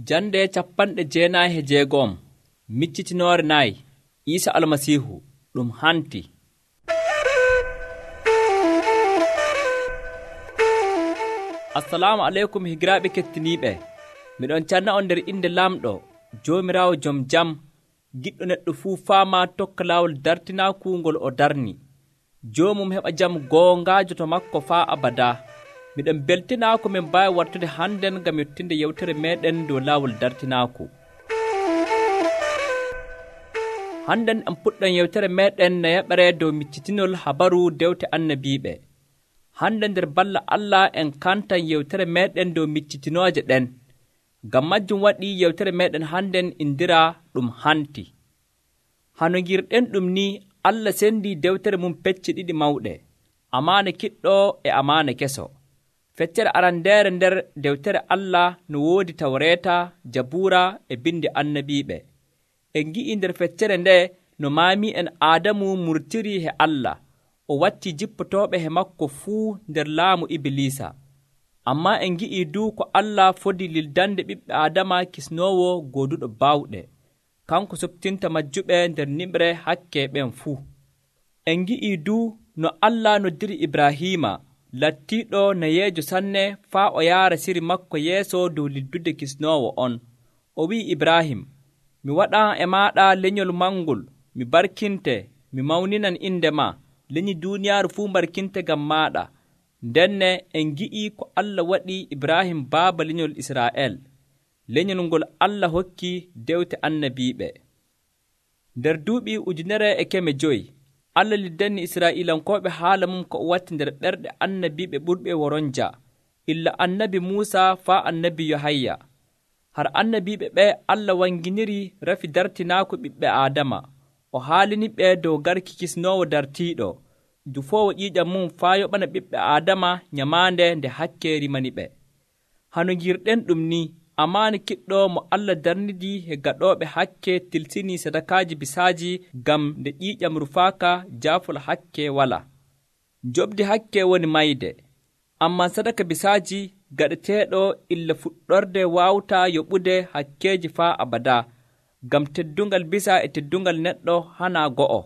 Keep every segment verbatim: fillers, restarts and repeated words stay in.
Jande capanɗe jeenayi e jeegom miccitinoore nayi Iisa Almasiihu ɗum hanti. Assalamu aleykum higiraaɓe kettiniiɓe. Miɗon canna on nder inde Lamɗo Joomiraawo Jom Jam, giɗɗo neɗɗo fuu faama tokka laawol dartinaaku ngol o darni. Joomum heɓa jam goongaajo to makko faa abadaa. Miɗon beltinaa ko min mbaawi wartude hannden ngam yottinde yewtere meeɗen dow laawol dartinaaku. Hannden en puɗɗon yewtere meeɗen no yaɓere dow miccitinol habaru dewte annabiiɓe. Hande nder balla Allah en kantan yewtere meeɗen dow miccitinooje ɗen. Ngam majjum waɗi yewtere meeɗen hannden indiraa ɗum hanti. Hano ngirɗen ɗum ni Allah sendi dewtere mum pecce ɗiɗi mawɗe, amaane kiɗɗo e amaane keso. Feccere arandeere nder dewtere Allah no woodi Tawreeta, Jabuura e bindi annabiiɓe. En ngi'i nder feccere nde no maami'en Aadamu murtiri he Allah, o watti jippotooɓe he makko fuu nder laamu Ibilisa. Ammaa en ngi'i du ko Allah fodi lildande ɓiɓɓe Aadama kisnoowo gooduɗo baawɗe, kanko soɓtinta majjuɓe nder nimre hakke ɓen fuu. En ngi'i du no Allah noddiri Ibrahiima, lattiiɗo nayeejo sanne faa o yaara siri makko yeeso dow liddude kisnoowo on. O wi'i Ibrahim, mi waɗan e maaɗa lenyol mangol, mi barkinte, mi mawninan inde ma, lenyi duuniyaaru fuu barkinte ngam maaɗa. Ndenne en ngi'i ko Allah waɗi Ibrahim baaba lenyol Israa'el, lenyol ngol Allah hokki dewte annabiiɓe. Nder duuɓi ujunere e keme joyi, Allah liddanni Israa'iilankooɓe haala mum ko o watti nder ɓerɗe annabiiɓe ɓurɓe woronja, illa annabi Muusa faa annabi Yohayya. Har annabiiɓe ɓe Allah wanginiri rafi dartinaaku ɓiɓɓe Aadama, o haaliniɓe dow garki kisnoowo dartiiɗo, dufoowo ƴiiƴam mum faa yoɓana ɓiɓɓe Aadama nyamaande nde hakke rimaniɓe. Hano ngirɗen ɗum ni, amaane kiɗɗo mo Allah darnidi he gaɗooɓe hakke tilsini sadakaaji bisaaji ngam nde ƴiiƴam rufaaka jaafol hakke wala. Njoɓdi hakke woni mayde, ammaa sadaka bisaaji gaɗeteeɗo illa fuɗɗorde waawtaa yoɓude hakkeeji faa abadaa, ngam teddungal bisa e teddungal neɗɗo hanaa go'o.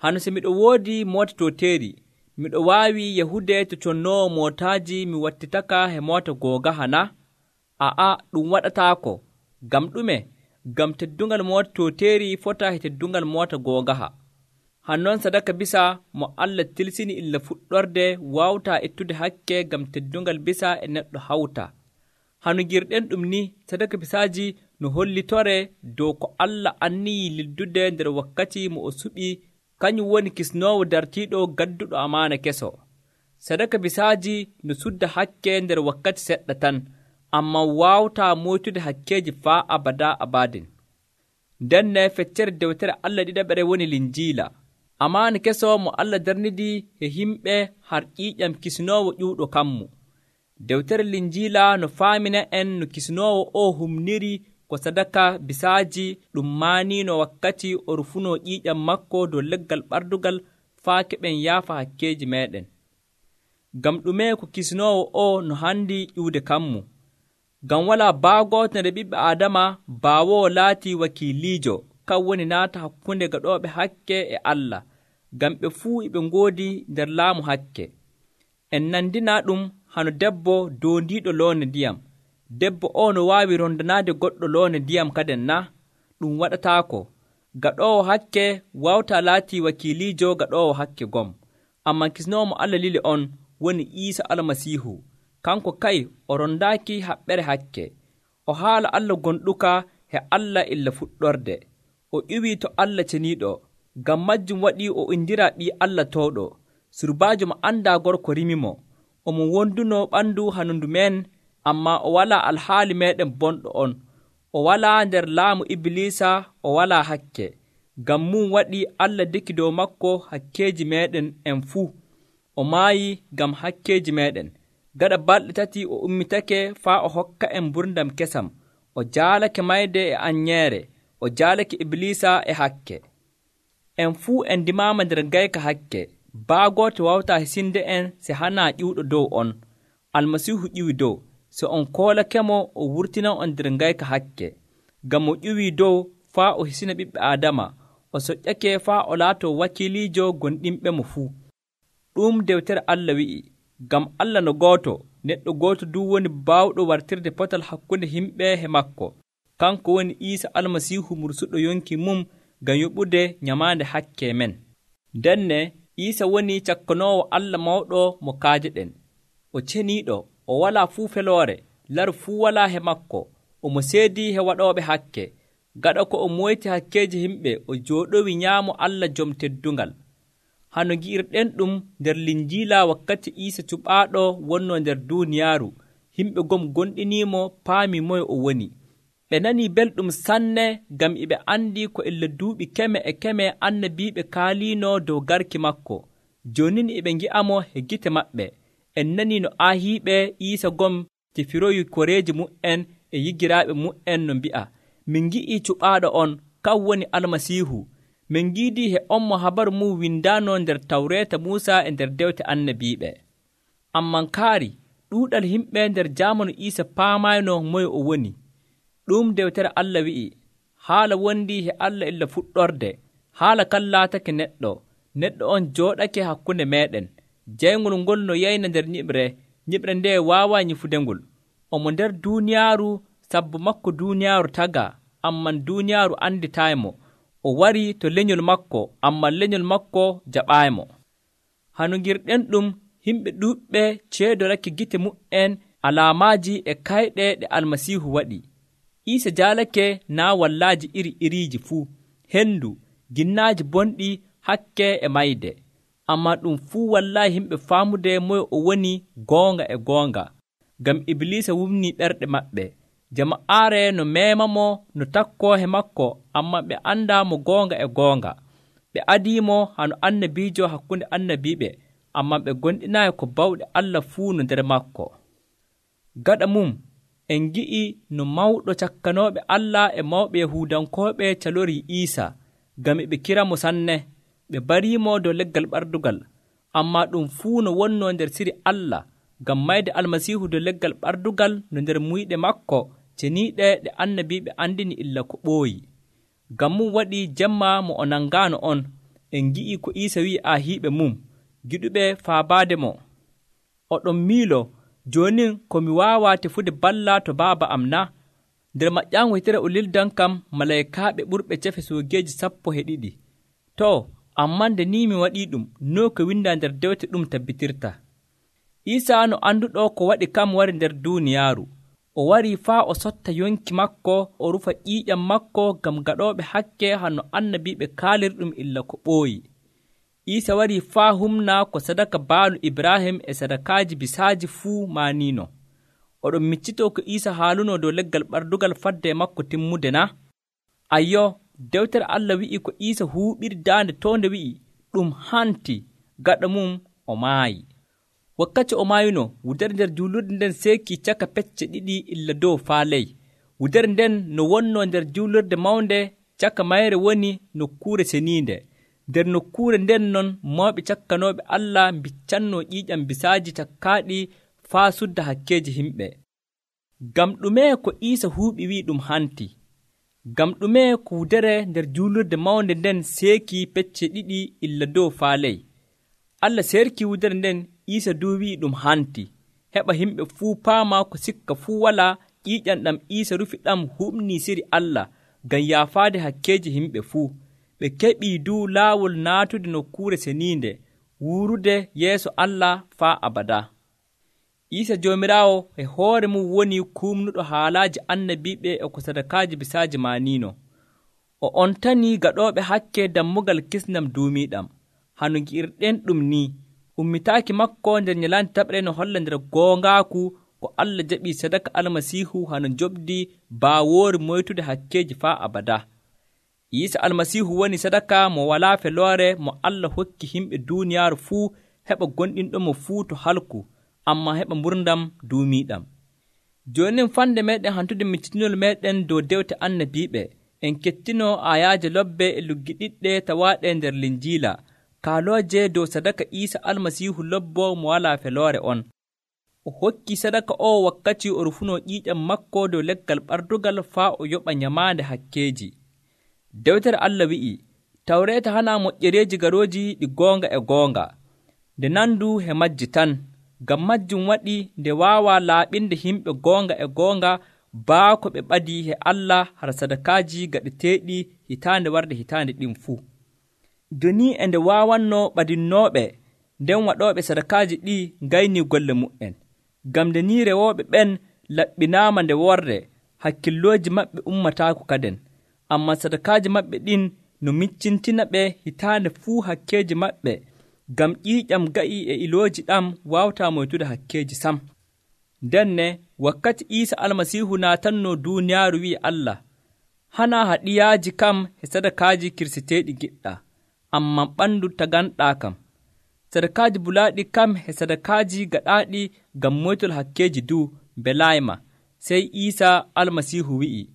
Hano so miɗo woodi moota tooteeri, miɗo waawi yahude to connoowo mootaaji mi wattitaka he moota googaha na? A'a, ɗum waɗataako. Ngam ɗume? Ngam teddungal moota tooteeri fotaa he teddungal moota googaha. Hannon sadaka bisa mo Allah tilsini illa fuɗɗorde waawtaa ettude hakke ngam teddungal bisa e neɗɗo hawta. Hano ngirɗen ɗum ni, sadaka bisaaji no hollitore dow ko Allah anniyi lildude nder wakkati mo o suɓi, kañum woni kisnoowo dartiiɗo gadduɗo amaana keso. Sadaka bisaaji no sudda hakke nder wakkati seɗɗa tan, ammaa waawtaa moytude hakkeeji faa abadaa abaadin. Ndenne feccere dewtere Allah ɗiɗaɓere woni Linjiila. Amaana keso mo Allah darnidi he himɓe har ƴiiƴam kisnoowo ƴuuɗo kammu. Dewtere Linjiila no faamina en no kisnoowo o humniri ko sadaka bisaaji ɗum maaniino wakkati o rufunoo ƴiiƴam makko dow leggal ɓardugal faa keɓen yaafa hakkeeji meeɗen. Ngam ɗume ko kisnoowo o no handi ƴuude kammu? Ngam walaa baagooto nder ɓiɓɓe Aadama baawoowo laati wakiiliijo, kan woni naata hakkunde gaɗooɓe hakke e Allah, ngam ɓe fuu eɓe ngoodi nder laamu hakke. En nandina ɗum hano debbo doondiiɗo loone ndiyam. Debbo o no waawi rondanaade goɗɗo loone ndiyam kaden na? Ɗum waɗataako. Gaɗoowo hakke waawtaa laati wakiiliijo gaɗoowo hakke gom. Ammaa kisnoowo mo Allah lili on woni Iisa Almasiihu. Kanko kay o rondaaki haɓɓere hakke. O haala Allah gonɗuka he Allah illa fuɗɗorde. O ƴuwii to Allah ceniiɗo. Ngam majjum waɗi o indiraa ɓii Allah towɗo. Surbaajo mo anndaa gorko rimimo. Omo wondunoo ɓandu hanundu men, ammaa o walaa alhaali meeɗen bonɗo on. O walaa nder laamu Ibilisa, o walaa hakke. Ngam mum waɗi Allah deki dow makko hakkeeji meeɗen en fuu. O maayi ngam hakkeeji meeɗen. Gaɗa balɗe tati o ummitake faa o hokka en mburdam kesam. O jaalake mayde e anyeere. O jaalake Ibilisa e hakke. En fuu en ndimaama nder ngayka hakke. Baagooto wawtaa hisinde en se hanaa ƴiwɗo dow on. Almasiihu ƴiwi dow. so on koolakemo o wurtinan on nder ngayka hakke, ngam o ƴuwii dow faa o hisina ɓiɓɓe Aadama, o soƴƴake faa o laatoo wakiiliijo gonɗinɓe mo fuu. Ɗum dewtere Allah wi'i, ngam Allah no gooto, neɗɗo gooto du woni baawɗo wartirde potal hakkunde yimɓe he makko. Kanko woni Iisa Almasiihu mursuɗo yonki mum ngam yoɓude nyamaande hakke men. Ndenne Iisa woni cakkanoowo Allah mawɗo mo kaajeɗen. O ceniiɗo, o walaa fuu feloore, laru fuu walaa he makko, omo seedii he waɗooɓe hakke. Gaɗa ko o moyti hakkeeji yimɓe, o jooɗowi nyaamo Allah jom teddungal. Hano gi'irɗen ɗum nder Linjiila wakkati Iisa cuɓaaɗo wonnoo nder duuniyaaru, yimɓe gom gonɗiniimo paami moye o woni. Ɓe nanii belɗum sanne ngam e ɓe anndi ko illa duuɓi keme e keme annabiiɓe kaaliino dow garki makko. Jooni ni e ɓe ngi'amo he gite maɓɓe. En nanii no aahiiɓe Iisa gom tefiroyi koreeji mu'en e yigiraaɓe mu'en no mbi'a, min ngi'ii cuɓaaɗo on, kan woni Almasiihu. Min ngiidii he on mo habaru mum windaano nder Tawreeta Muusa e nder dewte annabiiɓe. Amman kaari ɗuuɗal yimɓe nder jaamanu Iisa paamayno moye o woni. Ɗum dewtere Allah wi'i, haala wondii he Allah illa fuɗɗorde, haala kan laatake neɗɗo, neɗɗo on jooɗake hakkunde meeɗen. Jayngol ngol no yayna nder nyiɓre, nyiɓre nde waawaa nyifudengol. Omo nder duuniyaaru, sabbu makko duuniyaaru tagaa, amman duuniyaaru anditaaymo. O warii to lenyol makko, amman lenyol makko jaɓaaymo. Hano ngirɗen ɗum, yimɓe ɗuuɓɓe ceedorake gite mu'en alaamaaji e kayɗe ɗe Almasiihu waɗi. Iisa jaalake naa wallaaji iri iriiji fuu, hendu, ginnaaji bonɗi, hakke e mayde. Ammaa ɗum fuu wallaayi yimɓe faamude moye o woni goonga e goonga, ngam Ibliisa wumnii ɓerɗe maɓɓe. Jama'aare no meemamo no takkoo he makko, ammaa ɓe anndaa mo goonga e goonga. Ɓe adiimo hano annabiijo hakkunde annabiiɓe, ammaa ɓe gonɗinaayi ko bawɗe Allah fuu no nder makko. Gaɗa mum, en ngi'i no mawɗo cakkanooɓe Allah e mawɓe Yahuudankooɓe calorii Iisa, ngam e ɓe kiramo sanne. Ɓe bariimo dow leggal ɓardugal, ammaa ɗum fuu no wonnoo nder siri Allah, ngam mayde Almasiihu dow leggal ɓardugal no nder muyɗe makko ceniiɗe ɗe annabiiɓe andini illa ko ɓooyi. Ngam mum waɗi jemma mo o nangaano on, en ngi'ii ko Iisa wi'i aahiiɓe mum, giɗuɓe faabaade mo. Oɗon miilo, joonin ko mi waawaa tefude balla to baaba am na? Nder maƴƴaango hitere o lildan kam malaykaaɓe ɓurɓe cefe soogeeji sappo e ɗiɗi. Too, ammaa nde ni mi waɗii ɗum, no ko windaa nder dewte ɗum tabbitirta. Iisa no annduɗo ko waɗi kam wari nder duuniyaaru. O warii faa o sotta yonki makko, o rufa ƴiiƴam makko ngam gaɗooɓe hakke hano annabiiɓe kaalirɗum illa ko ɓooyi. Iisa warii faa humna ko sadaka baalu Ibrahim e sadakaaji bisaaji fuu maaniino. Oɗon miccitoo ko Iisa haalunoo dow leggal ɓardugal fadde e makko timmude na? Ayyo, dewtere Allah wi'i ko Iisa huuɓiri daande toonde wi'i, ɗum hanti, gaɗa mum o maayi. Wakkati o maayuno, wudere nder juulurde nden seekii caka pecce ɗiɗi illa dow faa ley. Wudere nden no wonnoo nder juulurde mawnde, caka mayre woni nokkuure seniinde. Nder nokkuure nden non mawɓe cakkanooɓe Allah mbiccannoo ƴiiƴam bisaaji cakkaaɗi faa sudda hakkeeji yimɓe. Ngam ɗume ko Iisa huuɓi wi'i ɗum hanti? Ngam ɗume ko wudere nder juulurde mawnde nden seekii pecce ɗiɗi illa dow faa ley? Allah seerkii wudere nden, Iisa duu wi'i ɗum hanti, heɓa yimɓe fuu paama ko sikka fuu walaa ƴiiƴam ɗam Iisa rufi ɗam huɓnii siri Allah ngam yaafaade hakkeeji yimɓe fuu. Ɓe keɓii duu laawol naatude nokkuure seniinde, wuurude yeeso Allah faa abadaa. Iisa Joomiraawo e hoore mum woni kuumnuɗo haalaaji annabiiɓe e ko sadakaaji bisaaji maaniino. O on tanii gaɗooɓe hakke dammugal kisnam duumiiɗam. Hano ngi'irɗen ɗum ni, ummitaaki makko nder nyalande taɓre no holla nder goongaaku ko Allah jaɓii sadaka Almasiihu hano njoɓdi baawoori moytude hakkeeji faa abadaa. Iisa Almasiihu woni sadaka mo walaa feloore mo Allah hokki yimɓe duuniyaaru fuu heɓa gonɗinɗomo fuu to halku, ammaa heɓa mburdam duumiiɗam. Joonin fande meeɗen hantude miccitinol meeɗen dow dewte annabiiɓe, en kettinoo aayaaje lobbe e luggi ɗiɗɗe tawaaɗe nder Linjiila, kaalooje dow sadaka Iisa Almasiihu lobbo mo walaa feloore on. o hokki sadaka o wakkati o rufuno ƴiiƴam makko dow leggal ɓardugal faa o yoɓa nyamaande hakkeeji. Dewtere Allah wi'i, Tawreeta hana moƴƴereeji garooji ɗi goonga e goonga, nde nandu he majji tan, ngam majjum waɗi nde waawa laaɓinde yimɓe goonga e goonga baako ɓe ɓadii he Allah har sadakaaji gaɗeteeɗi hitaande warde hitaande ɗin fuu. Doni e nde waawanno ɓadinnooɓe nden waɗooɓe sadakaaji ɗi ngaynii golle mu'en, ngam nde ni rewooɓe ɓen laɓɓinaama nde worde, hakkillooji maɓɓe ummataako kaden, ammaa sadakaaji maɓɓe ɗin no miccintina ɓe hitaande fuu hakkeeji maɓɓe, ngam ƴiiƴam ga'i e ilooji ɗam waawataa moytude hakkeeji sam. Ndenne wakkati Iisa Almasiihu naatannoo duuniyaaru wi'i Allah, hanaa haɗiyaaji kam e sadakaaji kirseteeɗi giɗɗaa, ammaa ɓandu taganɗaa kam. Sadakaaji bulaaɗi kam e sadakaaji gaɗaaɗi ngam moytol hakkeeji duu mbelaayma. Sey Iisa Almasiihu wi'i,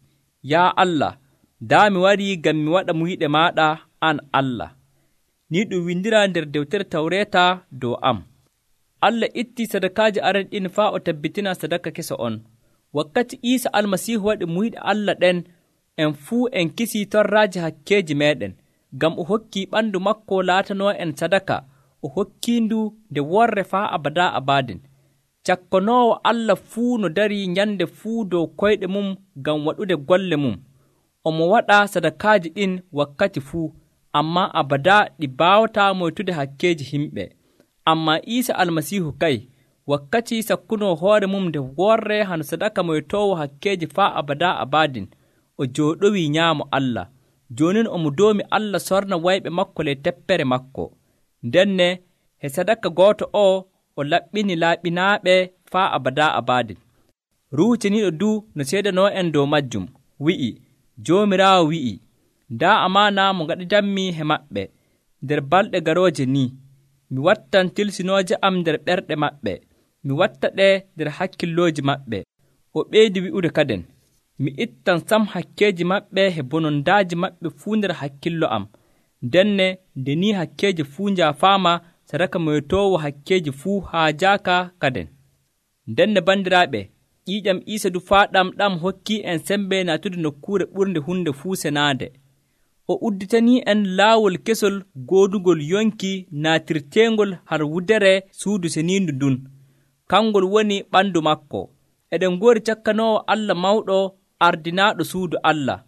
Yaa Allah, daa mi warii ngam mi waɗa muyɗe maaɗa an Allah. Ni ɗum windiraa nder dewtere Tawreeta dow am. Allah ittii sadakaaji aranɗin faa o tabbitina sadaka kesa on. Wakkati Iisa Almasiihu waɗi muyɗe Allah ɗen, en fuu en kisii torraaji hakkeeji meeɗen, ngam o hokkii ɓandu makko laatanoo en sadaka, o hokkiindu nde worre faa abadaa abaadin. Cakkanoowo Allah fuu no darii nyande fuu dow koyɗe mum ngam waɗude golle mum. Omo waɗa sadakaaji ɗin wakkati fuu, ammaa abadaa ɗi baawataa moytude hakkeeji himɓe. Ammaa Iisa Almasiihu kay, wakkati sakkunoo hoore mum nde worre hano sadaka moytoowo hakkeeji faa abadaa abaadin, o jooɗowii nyaamo Allah. Joonin omo doomi Allah sorna wayɓe makko ley teppere makko. Ndenne he sadaka gooto o o laɓɓini laaɓinaaɓe faa abadaa abaadin. Ruuhu Ceniiɗo duu no seedanoo en dow majjum, wi'i, Joomiraawo wi'i, ndaa amaana mo ngaɗidanmi he maɓɓe nder balɗe garooje ni. Mi wattan tilsinooje am nder ɓerɗe maɓɓe, mi watta ɗe nder hakkillooji maɓɓe. O ɓeydi wi'ude kaden, mi ittan sam hakkeeji maɓɓe he bonondaaji maɓɓe fuu nder hakkillo am. Ndenne nde ni hakkeeji fuu njaafaama, sadaka moytoowo hakkeeji fuu haajaaka kaden. Ndenne bandiraaɓe, ƴiiƴam Iisa du faa ɗam ɗam hokkii en sembe naatude nokkuure ɓurnde hunde fuu senaande. O udditanii en laawol kesol goodugol yonki naatirteengol har wudere suudu seniindu ndun. Kangol woni ɓandu makko. Eɗen ngoori cakkanoowo Allah mawɗo ardinaaɗo suudu Allah.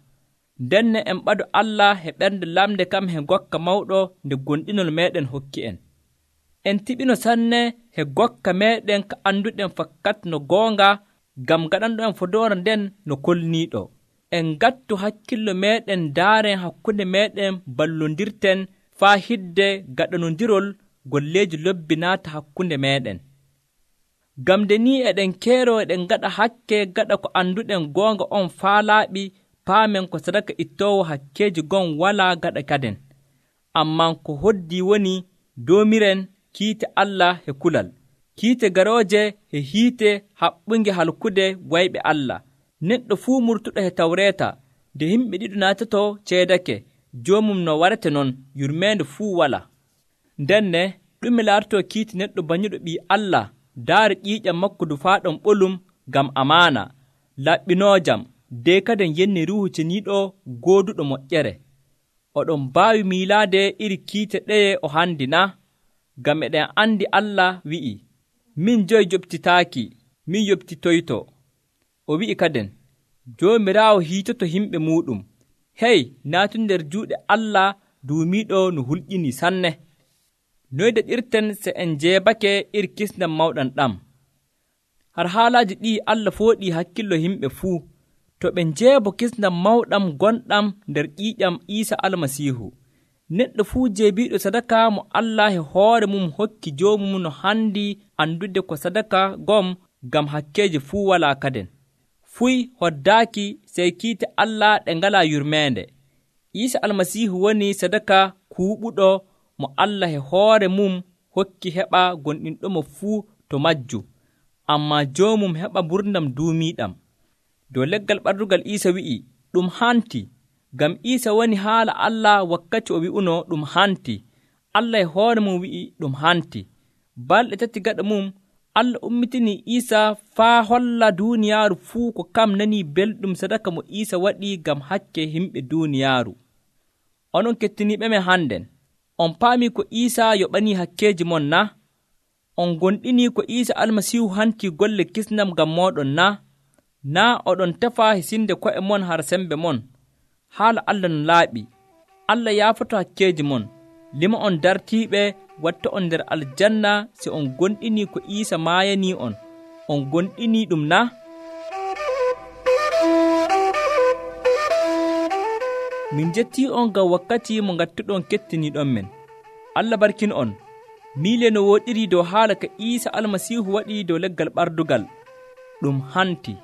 Ndenne en ɓado Allah he ɓernde lamde kam he gokka mawɗo nde gonɗinol meeɗen hokki en. En tiɓino sanne he gokka meeɗen ka annduɗen fakkat no goonga, ngam gaɗanɗo en fodoora nden no kolniiɗo. En ngattu hakkillo meeɗen daaren hakkunde meeɗen ballondirten faa hidde gaɗanondirol golleeji lobbi naata hakkunde meeɗen. Ngam nde ni eɗen keero eɗen gaɗa hakke gaɗa ko annduɗen goonga on faa laaɓi, paamen ko sadaka ittoowo hakkeeji gon walaa gaɗa kaden. Ammaa ko hoddii woni doomiren kiite Allah he kulal, kiite garooje he hiite haɓɓunge halkude wayɓe Allah. Neɗɗo fuu murtuɗo he Tawreeta, nde yimɓe ɗiɗo naatoto ceedake, joomum no warete non, yurmeende fuu wala. Ndenne ɗume laatotoo kiite neɗɗo banyuɗo ɓii Allah daara ƴiiƴam makko du faa ɗon ɓolum ngam amaana, laɓɓinoojam, de kaden yenni Ruuhu Ceniiɗo gooduɗo moƴƴere. Oɗon mbaawi miilaade iri kiite ɗeye o handi na? Ngam eɗen andi Allah wi'i, min joyi joɓtitaaki, min yoɓtitoyto. O wi'i kaden, Joomiraawo hiitoto yimɓe muuɗum. Hey, naatu nder juuɗe Allah duumiiɗo no hulƴinii sanne. Noy daɗirten se en jeebake iri kisnam mawɗam ɗam? Har haalaaji ɗi Allah fooɗii hakkillo yimɓe fuu, to ɓe njeebo kisnam mawɗam gonɗam nder ƴiiƴam Iisa Almasiihu. Neɗɗo fuu jeebiiɗo sadaka mo Allah he hoore mum hokki joomum no handi andude ko sadaka gom ngam hakkeeji fuu walaa kaden. Fuy hoddaaki sey kiite Allah ɗe ngalaa yurmeende. Iisa Almasiihu woni sadaka kuuɓuɗo mo Allah he hoore mum hokki heɓa gonɗinɗomo fuu to majju, ammaa joomum heɓa ɓurdam duumiiɗam. Dow leggal ɓardugal Iisa wi'i, ɗum hanti, ngam Iisa woni haala Allah wakkati o wi'uno ɗum hanti. Allah e hoore mum wi'i ɗum hanti. Balɗe tati gaɗa mum, Allah ummitinii Iisa faa holla duuniyaaru fuu ko kam nanii belɗum sadaka mo Iisa waɗi ngam hakke himɓe duuniyaaru. Onon kettiniiɓe men hannden, on paamii ko Iisa yoɓanii hakkeeji mon na? On gonɗinii ko Iisa Almasiihu hantii golle kisnam ngam mooɗon na? Naa oɗon tefa hisinde ko'e mon har sembe mon. Haala Allah no laaɓi. Allah yaafoto hakkeeji mon, lima on dartiiɓe, watta on nder aljanna si on gonɗinii ko Iisa maayanii on. On gonɗinii ɗum na? Min jettii on ngam wakkati mo ngattuɗon kettiniiɗon men. Allah barkin on. Miile no wooɗiri dow haala ka Iisa Almasiihu waɗi dow leggal ɓardugal. Ɗum hanti.